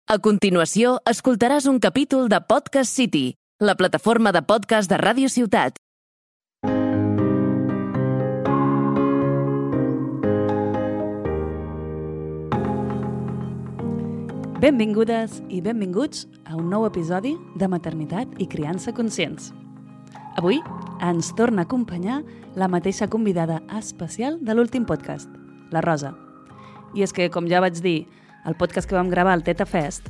A continuació, escoltaràs un capítol de Podcast City, la plataforma de podcast de Ràdio Ciutat. Benvingudes i benvinguts a un nou episodi de Maternitat i Criança Conscients. Avui ens torna a acompanyar la mateixa convidada especial de l'últim podcast, la Rosa. I és que, com ja vaig dir, el podcast que vam gravar al Teta Fest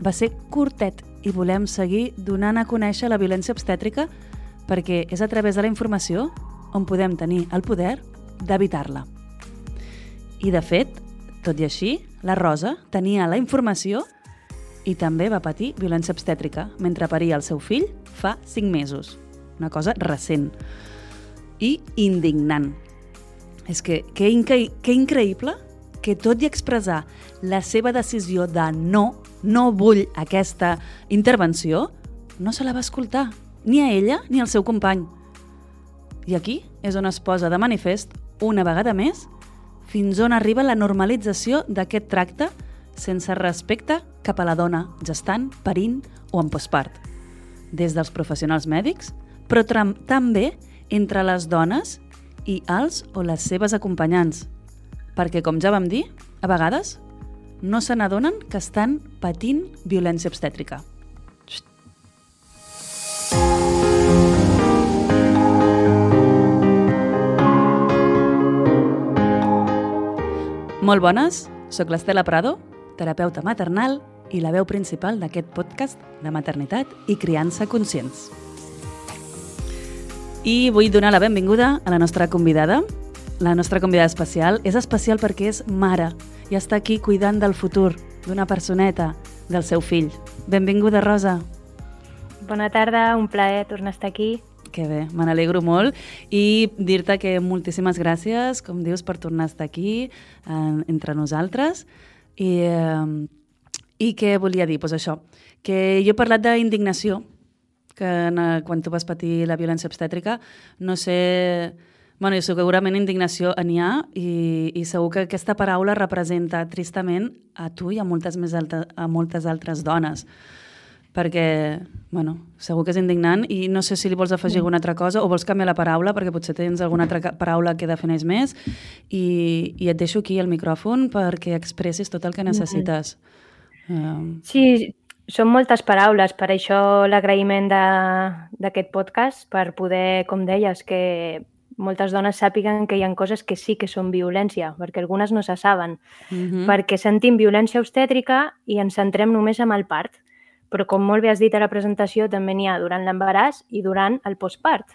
va ser curtet i volem seguir donant a conèixer la violència obstètrica perquè és a través de la informació on podem tenir el poder d'evitar-la. I, de fet, tot i així, la Rosa tenia la informació i també va patir violència obstètrica mentre paria el seu fill fa 5 mesos. Una cosa recent i indignant. És que increïble que tot i expressar la seva decisió de no vull aquesta intervenció, no se la va escoltar, ni a ella ni al seu company. I aquí és on es posa de manifest, una vegada més, fins on arriba la normalització d'aquest tracte sense respecte cap a la dona gestant, parint o en postpart. Des dels professionals mèdics, però també entre les dones i els o les seves acompanyants. Perquè, com ja vam dir, a vegades no se n'adonen que estan patint violència obstètrica. Molt bones, soc l'Estela Prado, terapeuta maternal i la veu principal d'aquest podcast de maternitat i criança conscients. I vull donar la benvinguda a la nostra convidada. La nostra convidada especial és especial perquè és mare i està aquí cuidant del futur d'una personeta, del seu fill. Benvinguda, Rosa. Bona tarda, un plaer tornar a estar aquí. Que bé, me n'alegro molt i dir-te que moltíssimes gràcies, com dius, per tornar a estar aquí entre nosaltres. I què volia dir? Doncs això, que jo he parlat d'indignació, que quan tu vas patir la violència obstètrica, no sé... Bueno, segurament indignació n'hi ha i segur que aquesta paraula representa tristament a tu i a moltes altres dones. Perquè, bueno, segur que és indignant i no sé si li vols afegir alguna altra cosa o vols canviar la paraula perquè potser tens alguna altra paraula que defineix més i et deixo aquí el micròfon perquè expressis tot el que necessites. Sí, són moltes paraules, per això l'agraïment d'aquest podcast, per poder, com deies, que moltes dones sàpiguen que hi ha coses que sí que són violència, perquè algunes no se saben, perquè sentim violència obstètrica i ens centrem només en el part, però com molt bé has dit a la presentació, també n'hi ha durant l'embaràs i durant el postpart.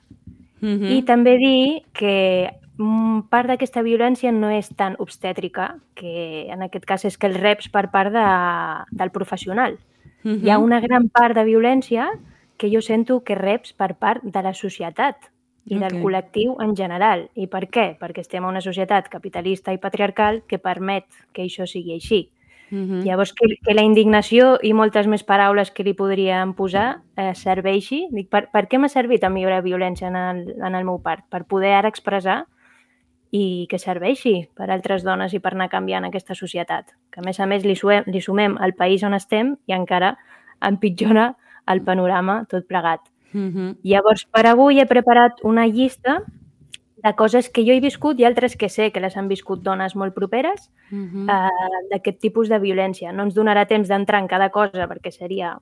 I també dir que part d'aquesta violència no és tan obstètrica, que en aquest cas és que el reps per part del professional. Hi ha una gran part de violència que jo sento que reps per part de la societat i del col·lectiu en general. I per què? Perquè estem en una societat capitalista i patriarcal que permet que això sigui així. Llavors, que la indignació i moltes més paraules que li podríem posar serveixi. Per què m'ha servit a mi la violència en el meu part? Per poder ara expressar i que serveixi per altres dones i per anar canviant aquesta societat. Que a més li sumem al país on estem i encara empitjora el panorama tot plegat. Llavors, per avui he preparat una llista de coses que jo he viscut i altres que sé que les han viscut dones molt properes d'aquest tipus de violència. No ens donarà temps d'entrar en cada cosa perquè seria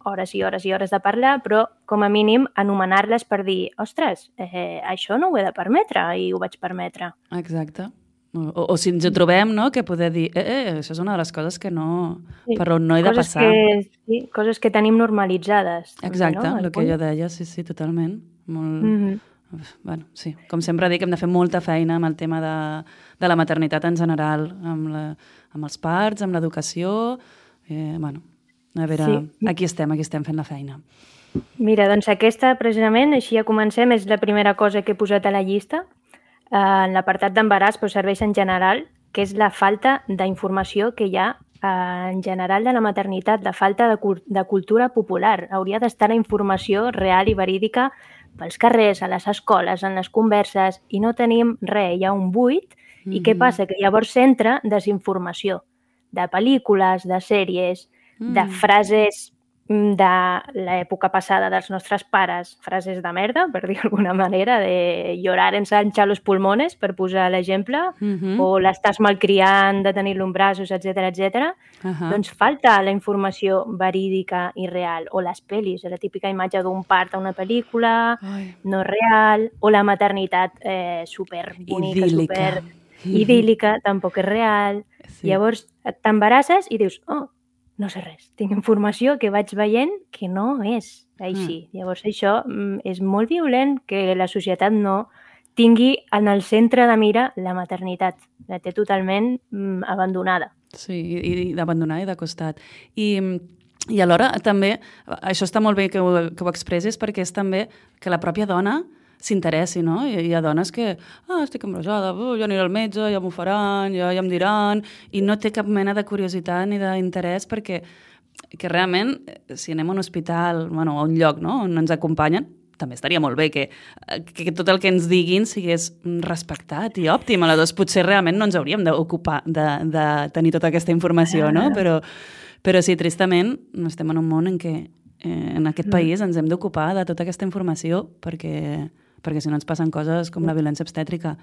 hores i hores i hores de parlar, però com a mínim anomenar-les per dir ostres, això no ho he de permetre i ho vaig permetre. Exacte. O si ens ho trobem, no?, que poder dir això és una de les coses que no... per on no he de passar. Coses que tenim normalitzades. Exacte, el que jo deia, sí, totalment. Bueno, sí, com sempre dic, hem de fer molta feina amb el tema de la maternitat en general, amb els parts, amb l'educació... Bueno, a veure, aquí estem fent la feina. Mira, doncs aquesta, precisament, així ja comencem, és la primera cosa que he posat a la llista. En l'apartat d'embaràs, però serveix en general, que és la falta d'informació que hi ha en general de la maternitat, la falta de cultura popular. Hauria d'estar la informació real i verídica pels carrers, a les escoles, en les converses, i no tenim res, hi ha un buit. I què passa? Que llavors s'entra desinformació de pel·lícules, de sèries, de frases de l'època passada dels nostres pares, frases de merda, per dir d'alguna manera, de llorar ensancha los pulmones, per posar l'exemple, o l'estàs malcriant de tenir-lo en braços, etc. Doncs falta la informació verídica i real, o les pel·lis, la típica imatge d'un part a una pel·lícula, no real, o la maternitat superbonica, idíl·lica, tampoc és real. Llavors t'embarasses i dius, no sé res, tinc informació que vaig veient que no és així. Llavors això és molt violent que la societat no tingui en el centre de mira la maternitat. La té totalment abandonada. Sí, i d'abandonada i de costat. I alhora també, això està molt bé que ho expressis perquè és també que la pròpia dona s'interessi, no? Hi ha dones que, estic embarassada, jo aniré al metge, ja m'ho faran, ja em diran, i no té cap mena de curiositat ni d'interès perquè que realment, si anem a un hospital, bueno, a un lloc, no?, on ens acompanyen, també estaria molt bé que tot el que ens diguin sigués respectat i òptim. Aleshores, potser realment no ens hauríem d'ocupar de tenir tota aquesta informació, no? Però sí, tristament, estem en un món en què en aquest país ens hem d'ocupar de tota aquesta informació perquè si no ens passen coses com la violència obstètrica.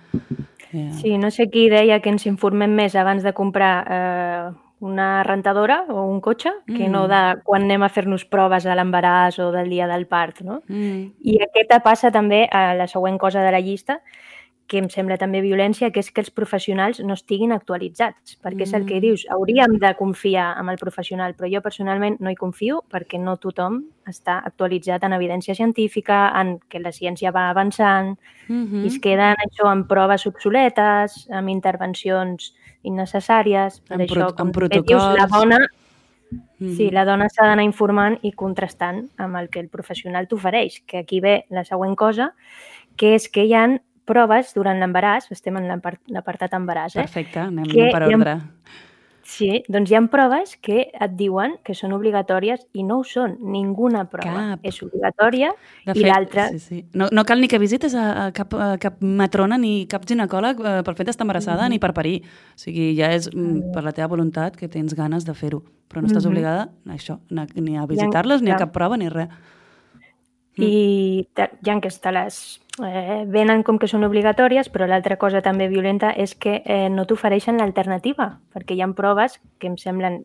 Sí, no sé qui deia que ens informem més abans de comprar una rentadora o un cotxe que no de quan anem a fer-nos proves a l'embaràs o del dia del part, no? I aquesta passa també a la següent cosa de la llista, que em sembla també violència, que és que els professionals no estiguin actualitzats, perquè és el que dius, hauríem de confiar en el professional, però jo personalment no hi confio perquè no tothom està actualitzat en evidència científica, en que la ciència va avançant, i es queden això en proves obsoletes, amb intervencions innecessàries, per això, com dius, la dona... Sí, la dona s'ha d'anar informant i contrastant amb el que el professional t'ofereix, que aquí ve la següent cosa, que és que hi ha proves durant l'embaràs, estem en l'apartat embaràs, Perfecte, anem per ordre. Sí, doncs hi ha proves que et diuen que són obligatòries i no ho són, ninguna prova és obligatòria i l'altra... No cal ni que visites a cap matrona ni cap ginecòleg pel fet d'estar embarassada ni per parir. O sigui, ja és per la teva voluntat que tens ganes de fer-ho, però no estàs obligada a això, ni a visitar-les, ni a cap prova, ni res. I ja que te les venen com que són obligatòries, però l'altra cosa també violenta és que no t'ofereixen l'alternativa, perquè hi ha proves que em semblen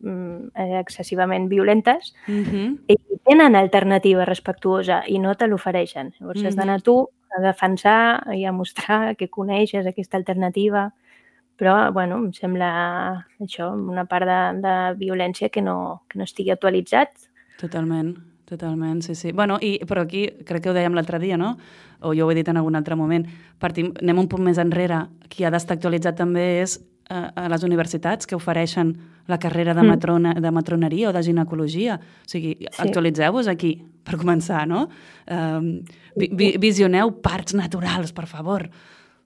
excessivament violentes i tenen alternativa respectuosa i no te l'ofereixen. Llavors has d'anar tu a defensar i a mostrar que coneixes aquesta alternativa, però bueno, em sembla això, una part de violència que no estigui actualitzat. Totalment, sí. Bueno, però aquí, crec que ho dèiem l'altre dia, no? O jo ho he dit en algun altre moment, anem un punt més enrere. Qui ha d'estar actualitzat també és a les universitats que ofereixen la carrera de matroneria o de ginecologia. O sigui, actualitzeu-vos aquí, per començar, no? Visioneu parts naturals, per favor.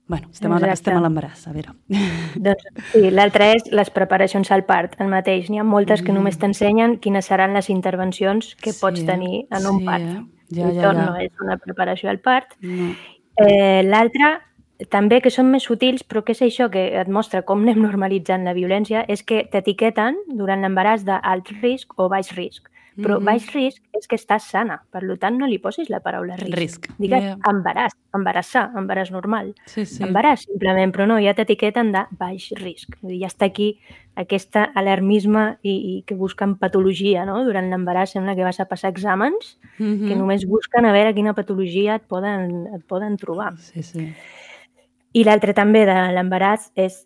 Bueno, estem a l'embaràs, a veure. Doncs sí, l'altre és les preparacions al part, el mateix. N'hi ha moltes que només t'ensenyen quines seran les intervencions que pots tenir en un part. Això no és una preparació al part. L'altre, també que són més sutils, però que és això que et mostra com anem normalitzant la violència, és que t'etiqueten durant l'embaràs d'alt risc o baix risc. Però baix risc és que estàs sana, per tant no li posis la paraula risc. Digues embaràs, embarassar, embaràs normal. Embaràs, simplement, però no, ja t'etiqueten de baix risc. Vull dir, ja està aquí aquest alarmisme i que busquen patologia, no? Durant l'embaràs sembla que vas a passar exàmens que només busquen a veure quina patologia et poden trobar. I l'altre també de l'embaràs és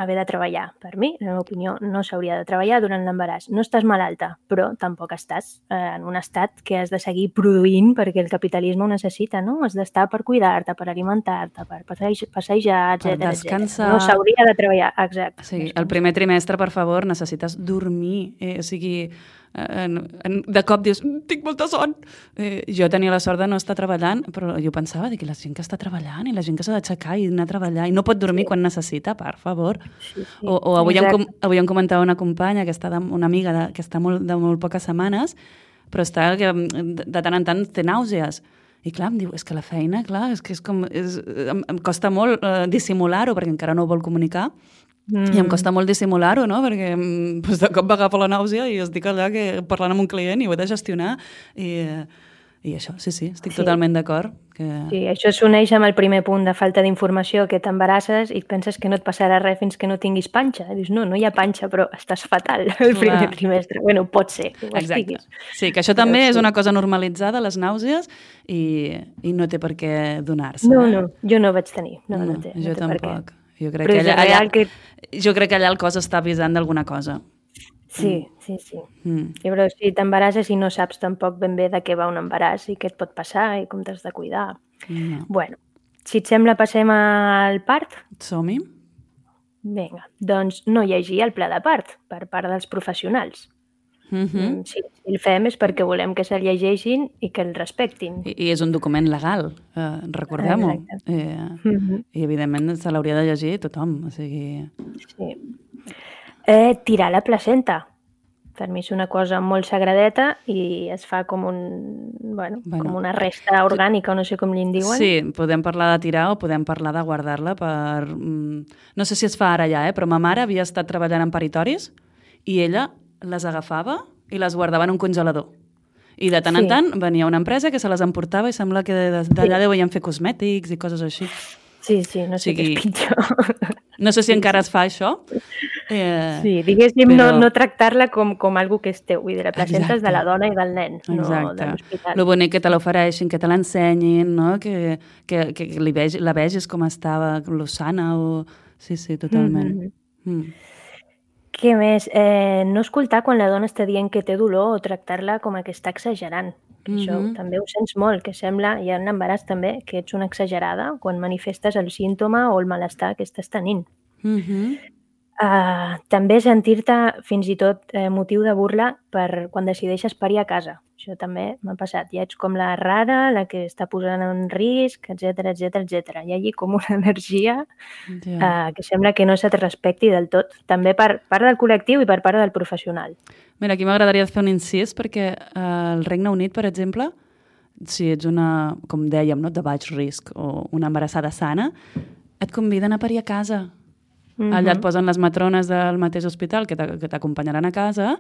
haver de treballar. Per mi, en la meva opinió, no s'hauria de treballar durant l'embaràs. No estàs malalta, però tampoc estàs en un estat que has de seguir produint perquè el capitalisme ho necessita, no? Has d'estar per cuidar-te, per alimentar-te, per passejar, etc. Per descansar. No s'hauria de treballar, exacte. Sí, el primer trimestre, per favor, necessites dormir. O sigui, de cop dius, tinc molta son. Jo tenia la sort de no estar treballant, però jo pensava que la gent que està treballant i la gent que s'ha d'aixecar i anar a treballar i no pot dormir quan necessita, per favor. O avui em comentava una companya que està una amiga que està de molt poques setmanes, però està que de tant en tant té nàusees. I clar, em diu, és que la feina, clar, és que em costa molt dissimular-ho perquè encara no ho vol comunicar, I em costa molt dissimular-ho, no? Perquè de cop m'agafa la nàusea i estic allà parlant amb un client i ho he de gestionar i això, sí, estic totalment d'acord. Sí, això s'uneix amb el primer punt de falta d'informació, que t'embarasses i penses que no et passarà res fins que no tinguis panxa. I dius, no hi ha panxa, però estàs fatal el primer trimestre. Bueno, pot ser que ho estiguis. Sí, que això també és una cosa normalitzada, les nàusees, i no té per què donar-se. No, jo no vaig tenir. No té, jo tampoc. Jo crec que allà el cos està avisant d'alguna cosa. Sí. Però si t'embarasses i no saps tampoc ben bé de què va un embaràs i què et pot passar i com t'has de cuidar. Bueno, si et sembla passem al part? Som-hi. Vinga, doncs no llegir el pla de part per part dels professionals. Si el fem és perquè volem que se'l llegeixin i que el respectin. I és un document legal, recordem-ho. I evidentment se l'hauria de llegir tothom. Sí. Tirar la placenta. Per mi és una cosa molt sagradeta i es fa com com una resta orgànica, no sé com li en diuen. Sí, podem parlar de tirar o podem parlar de guardar-la per... No sé si es fa ara ja, però ma mare havia estat treballant en paritoris i ella les agafava i les guardava en un congelador. I de tant en tant venia una empresa que se les emportava i sembla que d'allà deuen fer cosmètics i coses així. Sí, no sé què és pitjor. No sé si encara es fa això. Sí, diguéssim, no tractar-la com algo que és teu. Vull dir, la placenta és de la dona i del nen, no de l'hospital. Lo bonic que te l'ofereixin, que te l'ensenyin, no? que la vegis com estava, lo sana. Sí, totalment. Què més? No escoltar quan la dona està dient que té dolor o tractar-la com que està exagerant. Això també ho sents molt, que sembla, i en l'embaràs també, que ets una exagerada quan manifestes el símptoma o el malestar que estàs tenint. També sentir-te fins i tot motiu de burla per quan decideixes parir a casa. Això també m'ha passat. Ja ets com la rara, la que està posant en risc, etc. Hi ha allí com una energia que sembla que no se't respecti del tot. També per part del col·lectiu i per part del professional. Mira, aquí m'agradaria fer un incís perquè al Regne Unit, per exemple, si ets una, com dèiem, de baix risc o una embarassada sana, et conviden a parir a casa. Allà et posen les matrones del mateix hospital que t'acompanyaran a casa,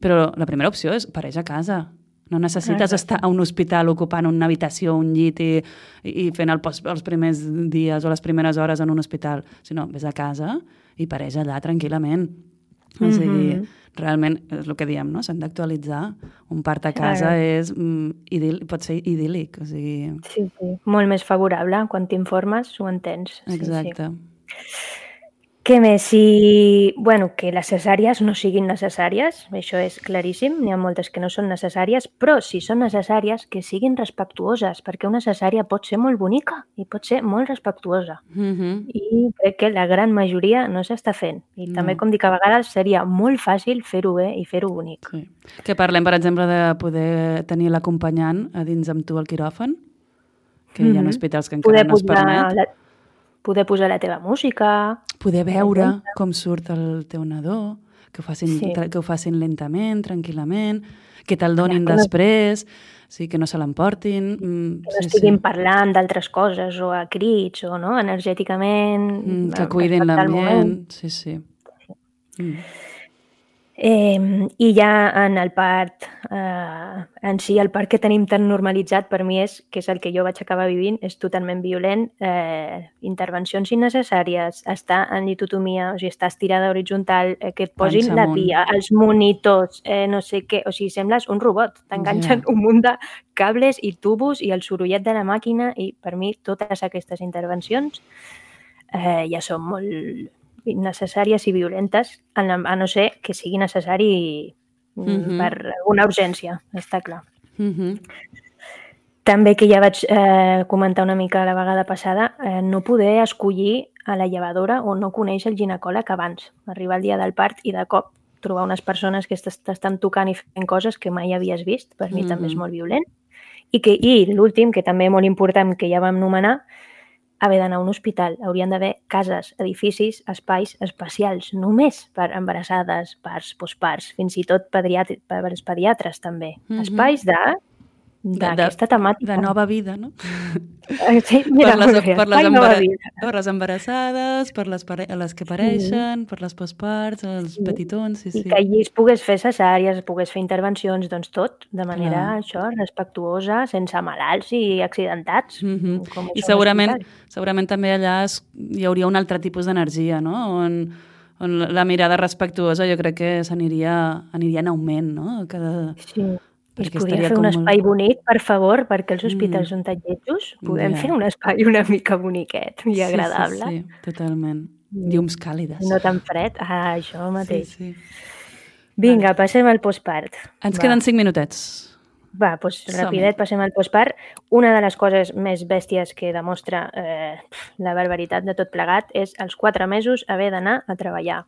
però la primera opció és pareix a casa. No necessites estar a un hospital ocupant una habitació, un llit i fent els primers dies o les primeres hores en un hospital, sinó vés a casa i pareix allà tranquil·lament. O sigui, realment és el que diem, no? S'han d'actualitzar. Un part a casa pot ser idíl·lic. O sigui... Sí, molt més favorable. Quan t'informes ho entens. Exacte. Què més? Que les cesàries no siguin necessàries, això és claríssim, n'hi ha moltes que no són necessàries, però si són necessàries, que siguin respectuoses, perquè una cesària pot ser molt bonica i pot ser molt respectuosa. I crec que la gran majoria no s'està fent. I també, com dic, a vegades seria molt fàcil fer-ho bé i fer-ho bonic. Sí. Que parlem, per exemple, de poder tenir l'acompanyant a dins amb tu al quiròfan, que hi ha hospitals que encara no es permet. Poder posar la teva música... Poder veure com surt el teu nadó, que ho facin lentament, tranquil·lament, que te'l donin després, que no se l'emportin... Que no estiguin parlant d'altres coses o a crits o energèticament... Que cuidin l'ambient, sí. I ja en el part en si, el part que tenim tan normalitzat per mi que és el que jo vaig acabar vivint, és totalment violent. Intervencions innecessàries, estar en litotomia, o sigui, estar estirada horitzontal, que et posin la pia, els monitors, no sé què, o sigui, sembles un robot, t'enganxen un munt de cables i tubos i el sorollet de la màquina, i per mi totes aquestes intervencions ja són molt innecessàries i violentes, a no ser que sigui necessari per una urgència, està clar. També, que ja vaig comentar una mica la vegada passada, no poder escollir a la llevadora o no conèixer el ginecòleg abans, arribar el dia del part i de cop trobar unes persones que t'estan tocant i fent coses que mai havies vist, per mi també és molt violent. I l'últim, que també és molt important, que ja vam nomenar, haver d'anar a un hospital. Haurien d'haver cases, edificis, espais especials, només per embarassades, parts, postparts, fins i tot per els pediatres també. Espais de d'aquesta temàtica. De nova vida, no? Sí, mira, per les embarassades, per les que pareixen, per les postparts, els petitons, I que allí es pogués fer cesàries, es pogués fer intervencions, doncs tot, de manera respectuosa, sense malalts i accidentats. I segurament també allà hi hauria un altre tipus d'energia, no? On la mirada respectuosa jo crec que s'aniria en augment, no? Sí. I es podria fer un espai bonic, per favor, perquè els hospitals són tan lletjos. Podem fer un espai una mica boniquet i agradable. Sí, totalment. Llums càlides. No tan fred. Això mateix. Vinga, passem al postpart. Ens queden 5 minutets. Va, doncs rapidet, passem al postpart. Una de les coses més bèsties que demostra la barbaritat de tot plegat és als 4 mesos haver d'anar a treballar.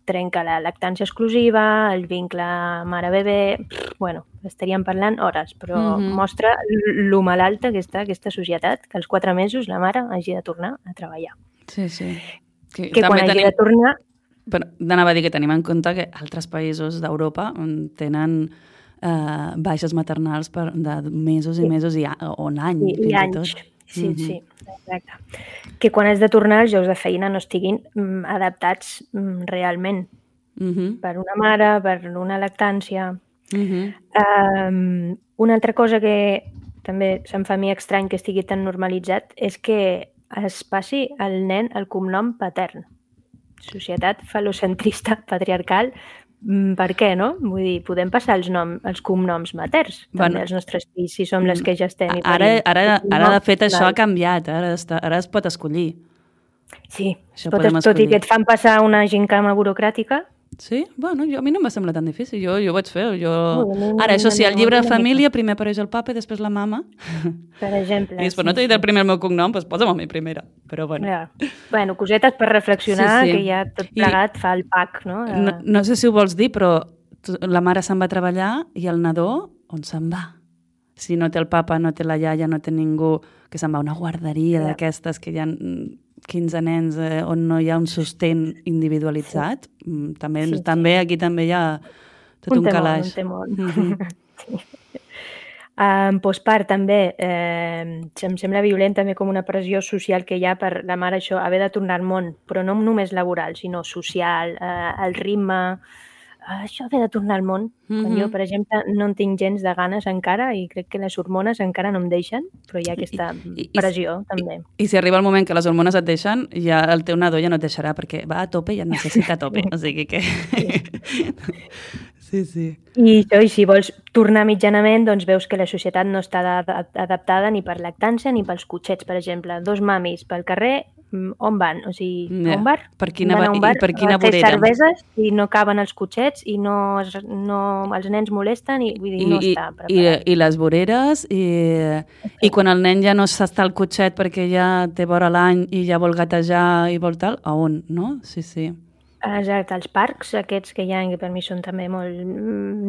Trenca la lactància exclusiva, el vincle mare-bebè... Bueno, estaríem parlant hores, però mostra lo malalta que està aquesta societat, que als 4 mesos la mare hagi de tornar a treballar. Sí. Que quan hagi de tornar... Però anava a dir que tenim en compte que altres països d'Europa tenen baixes maternals de mesos i mesos o un any, fins i tot. Sí, exacte. Que quan has de tornar els llocs de feina no estiguin adaptats realment per una mare, per una lactància. Una altra cosa que també se'm fa a mi estrany que estigui tan normalitzat és que es passi al nen el cognom patern. Societat fal·locentrista, patriarcal. Per què, no? Vull dir, podem passar els cognoms materns també als nostres fills, si som les que ja estem i parim. Ara de fet, això ha canviat. Ara es pot escollir. Sí, tot i que et fan passar una gincama burocràtica. Sí? Bueno, a mi no em va semblar tan difícil. Jo ho vaig fer. Ara, això sí, al llibre de família primer apareix el papa i després la mama. Per exemple. I després no t'he dit el primer el meu cognom, doncs posa'm a mi primera. Però bueno. Bueno, cosetes per reflexionar, que ja tot plegat fa el pack, no? No sé si ho vols dir, però la mare se'n va a treballar i el nadó on se'n va? Si no té el papa, no té la iaia, no té ningú, que se'n va a una guarderia d'aquestes que hi ha 15 nens on no hi ha un sostén individualitzat. També aquí també hi ha tot un calaix. En postpart també em sembla violent també com una pressió social que hi ha per la mare això, haver de tornar al món, però no només laboral, sinó social, el ritme, això haver de tornar al món. Quan jo, per exemple, no en tinc gens de ganes encara i crec que les hormones encara no em deixen, però hi ha aquesta pressió també. I si arriba el moment que les hormones et deixen, ja el teu nadó ja no et deixarà perquè va a tope i et necessita a tope. O sigui que... Sí. I si vols tornar mitjanament, doncs veus que la societat no està adaptada ni per lactància ni pels cotxets, per exemple. 2 mamis pel carrer, on van? O sigui, a un bar? Per quina vorera? Fer cerveses i no caben els cotxets i els nens molesten i vull dir, no està preparat. I les voreres i quan el nen ja no s'està al cotxet perquè ja té vora l'any i ja vol gatejar i vol tal, a on, no? Sí. Exacte, els parcs aquests que hi ha, que per mi són també molt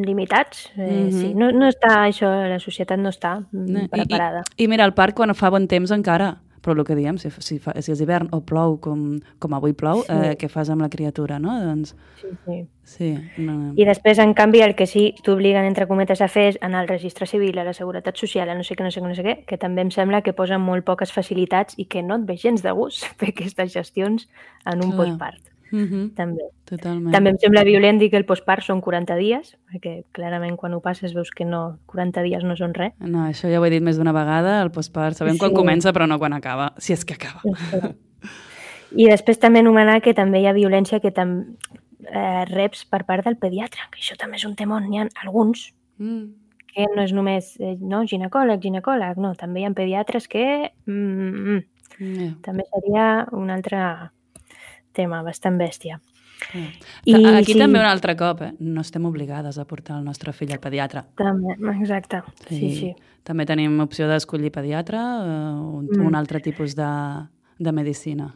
limitats, sí, no està això, la societat no està preparada. I mira, el parc quan fa bon temps encara, però el que diem, si és hivern o plou com avui plou, què fas amb la criatura, no? Doncs... Sí. I després, en canvi, el que sí t'obliguen, entre cometes, a fer és anar al registre civil, a la seguretat social, a no sé què, que també em sembla que posen molt poques facilitats i que no et ve gens de gust fer aquestes gestions en un postpart. També. Totalment. També em sembla violent dir que el postpart són 40 dies, perquè clarament quan ho passes veus que no, 40 dies no són res. No, això ja ho he dit més d'una vegada, el postpart sabem quan comença però no quan acaba, si és que acaba. I després també anomenar que també hi ha violència que reps per part del pediatre, que això també és un temor, n'hi ha alguns que no és només ginecòleg, no, també hi ha pediatres que també seria un altre tema bastant bèstia. Aquí també un altre cop, no estem obligades a portar el nostre fill al pediatre. També, exacte, sí. També tenim opció d'escollir pediatre o un altre tipus de medicina.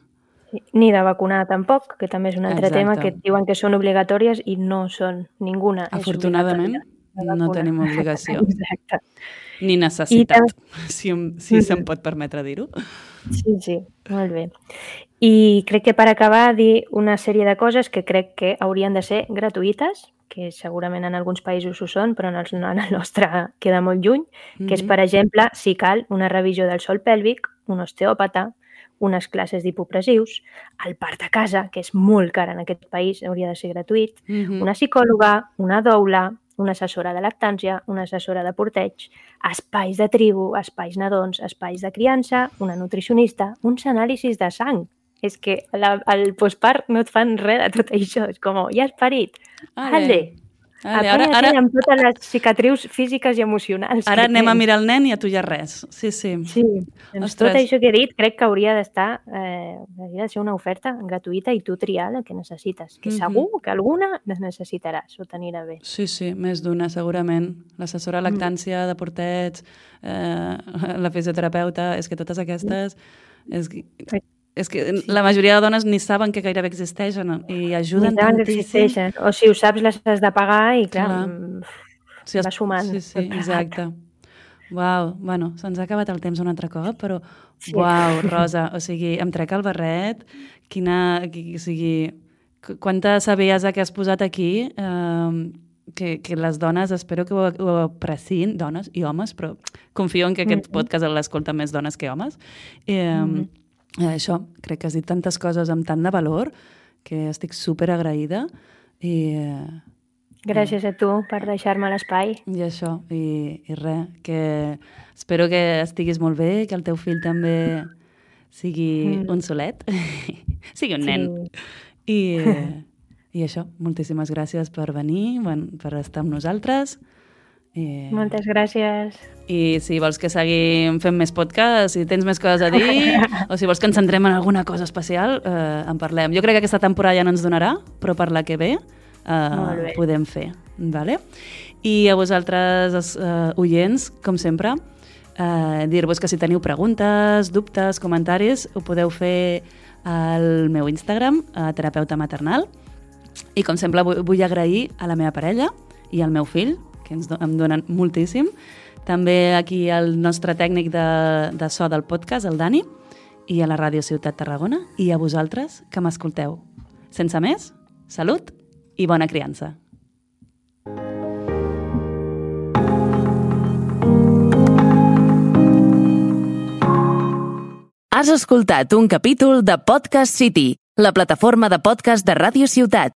Ni de vacunar tampoc, que també és un altre tema que diuen que són obligatòries i no són ninguna. Afortunadament no tenim obligació. Exacte. Ni necessitat, si se'm pot permetre dir-ho. Sí, molt bé. I crec que per acabar dir una sèrie de coses que crec que haurien de ser gratuïtes que segurament en alguns països ho són, però en el nostre queda molt lluny, que és, per exemple, si cal, una revisió del sòl pèlvic, un osteòpata, unes classes d'hipopressius, el part a casa, que és molt car en aquest país, hauria de ser gratuït, una psicòloga, una doula, una assessora de lactància, una assessora de porteig, espais de tribu, espais nadons, espais de criança, una nutricionista, uns anàlisis de sang. És que al postpart no et fan res de tot això. És com, ja has parit. Vale. Ara amb totes les cicatrius físiques i emocionals. Ara anem a mirar el nen i a tu ja res. Sí. Doncs tot això que he dit crec que hauria de ser una oferta gratuïta i tu triar la que necessites. Que segur que alguna necessitaràs o t'anirà bé. Sí, més d'una, segurament. L'assessora de lactància, de porteig, la fisioterapeuta, és que totes aquestes... És que la majoria de dones ni saben que gairebé existeixen i ajuden tantíssim. O si ho saps, les has de pagar i, clar, va sumant. Sí, exacte. Uau, bueno, se'ns ha acabat el temps un altre cop, però uau, Rosa, o sigui, em trec el barret, quanta saviesa que has posat aquí, que les dones, espero que ho apreciïn, dones i homes, però confio en que aquest podcast l'escolten més dones que homes. Això, crec que has dit tantes coses amb tant de valor que estic super agraïda i... Gràcies a tu per deixar-me l'espai. I això, i res, que espero que estiguis molt bé, que el teu fill també sigui un solet, sigui un nen. I això, moltíssimes gràcies per venir, per estar amb nosaltres. Moltes gràcies. I si vols que seguim fent més podcast, si tens més coses a dir, o si vols que ens centrem en alguna cosa especial, en parlem. Jo crec que aquesta temporada ja no ens donarà, però per la que ve podem fer. Vale? I a vosaltres, oients, com sempre, dir-vos que si teniu preguntes, dubtes, comentaris, ho podeu fer al meu Instagram, terapeuta maternal. I com sempre vull agrair a la meva parella i al meu fill, que em donen moltíssim. També aquí el nostre tècnic de so del podcast, el Dani, i a la Ràdio Ciutat Tarragona, i a vosaltres que m'escolteu. Sense més, salut i bona criança. Has escoltat un capítol de Podcast City, la plataforma de podcast de Ràdio Ciutat.